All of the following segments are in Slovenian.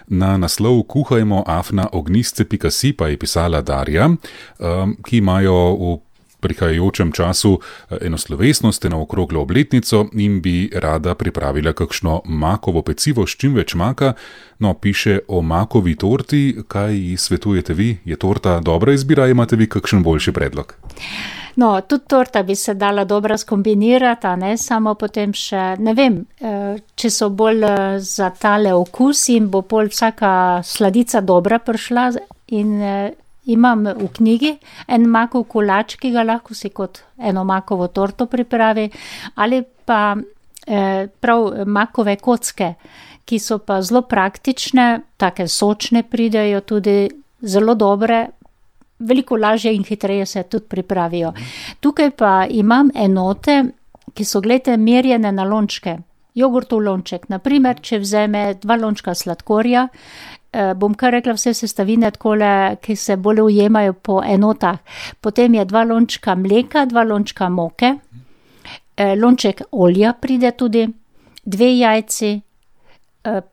Na naslov kuhajmo@ognistce.si pa je pisala Darja, ki imajo v prihajajočem času eno slovesnost, eno okroglo obletnico in bi rada pripravila kakšno makovo pecivo s čim več maka. No, piše o makovi torti. Kaj ji svetujete vi? Je torta dobra izbira, imate vi kakšen boljši predlog? No, tudi torta bi se dala dobro skombinirati, a ne samo potem še, ne vem, če so bolj za tale okus in bo pol vsaka sladica dobra prišla in imam v knjigi en makov kolač, ki ga lahko si kot eno makovo torto pripravi, ali pa prav makove kocke, ki so pa zelo praktične, take sočne pridejo tudi zelo dobre, veliko lažje in hitreje se tudi pripravijo. Tukaj pa imam enote, ki so, gledajte, merjene na lončke. Jogurtov lonček, naprimer, če vzame 2 lončka sladkorja, bom kar rekla vse sestavine takole, ki se bolj ujemajo po enotah. Potem je 2 lončka mleka, 2 lončka moke, lonček olja pride tudi, 2 jajci,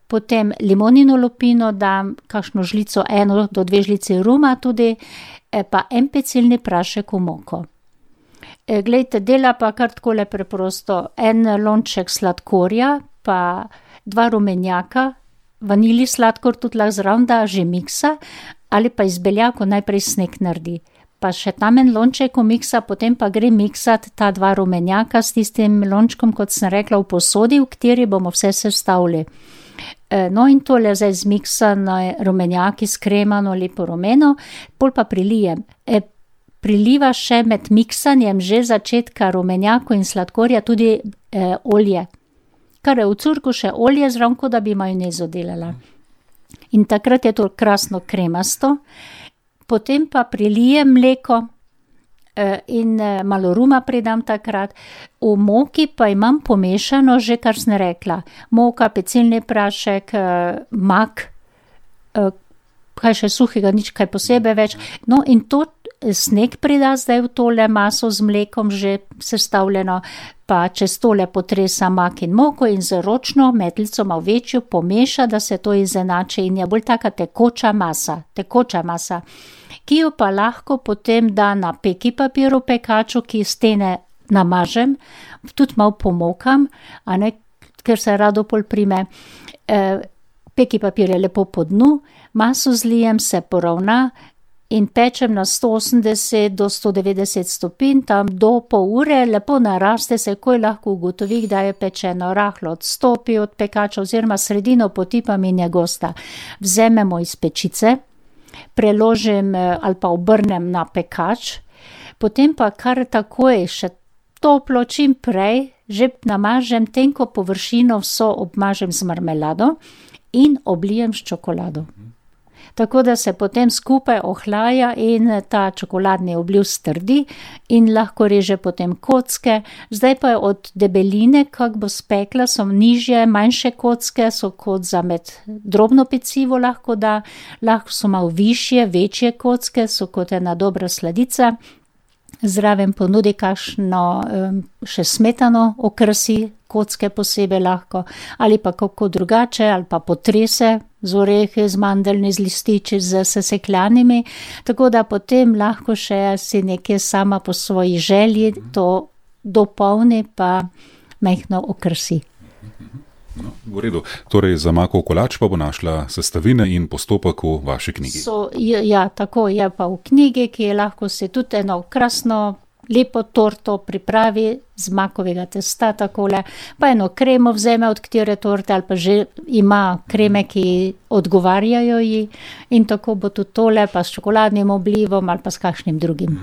potem limonino lupino dam, kakšno žlico, 1 do 2 žlici ruma tudi, pa en pecilni prašek v moko. Glejte, dela pa kar takole preprosto, 1 lonček sladkorja, pa 2 rumenjaka, vanilji sladkor tudi lahko zraven da, že miksa, ali pa iz beljakov najprej sneg naredi. Pa še tam en lonček miksa, potem pa gre miksati ta 2 rumenjaka s tistim lončkom, kot sem rekla, v posodi, v kateri bomo vse sestavili. No in tole zdaj zmiksano rumenjaki s kremano, lepo rumeno, pol pa prilijem. Priliva še med miksanjem že začetka rumenjako in sladkorja tudi olje. Kar je v curku še olje zraven, da bi majonezo delala. In takrat je to krasno kremasto. Potem pa prilijem mleko in malo ruma pridam takrat. V moki pa imam pomešano že, kar sem rekla. Moka, pecilni prašek, mak, kaj še suhega, nič kaj posebej več. No in to sneg prida zdaj v tole maso z mlekom že sestavljeno, pa čez tole potresa mak in moko in z ročno metlico malo večjo pomeša, da se to izenači in je bolj taka tekoča masa, ki jo pa lahko potem da na peki papir v pekaču, ki stene namažem, tudi malo pomokam, a ne, ker se rado pol prime. Peki papir je lepo po dnu, maso zlijem, se poravna in pečem na 180 do 190 stopinj, tam do pol ure, lepo naraste, se ko lahko ugotovi, da je pečeno, rahlo odstopi od pekača oziroma sredino potipam in je gosta. Vzememo iz pečice, preložim ali pa obrnem na pekač, potem pa kar takoj še toplo, čim prej, že namažem tenko površino, vso obmažem z marmelado in oblijem s čokolado. Tako da se potem skupaj ohlaja in ta čokoladni obliv strdi in lahko reže potem kocke. Zdaj pa je od debeline, kak bo spekla, so nižje, manjše kocke, so kot za med drobno pecivo lahko da, lahko so malo višje, večje kocke, so kot ena dobra sladica. Zraven ponudi kakšno še smetano okrasi, kocke posebej lahko, ali pa kako drugače, ali pa potrese z orehi, z mandeljni, z lističi, z sesekljanimi, tako da potem lahko še si nekje sama po svoji želji to dopolni pa majhno okrasi. No, v redu. Torej za makov kolač pa bo našla sestavine in postopek v vaši knjigi. Ja, tako je pa v knjigi, ki je lahko si tudi eno krasno, lepo torto pripravi z makovega testa takole, pa eno kremo vzeme od katere torte ali pa že ima kreme, ki odgovarjajo ji in tako bo tudi tole pa s čokoladnim oblivom ali pa s kakšnim drugim.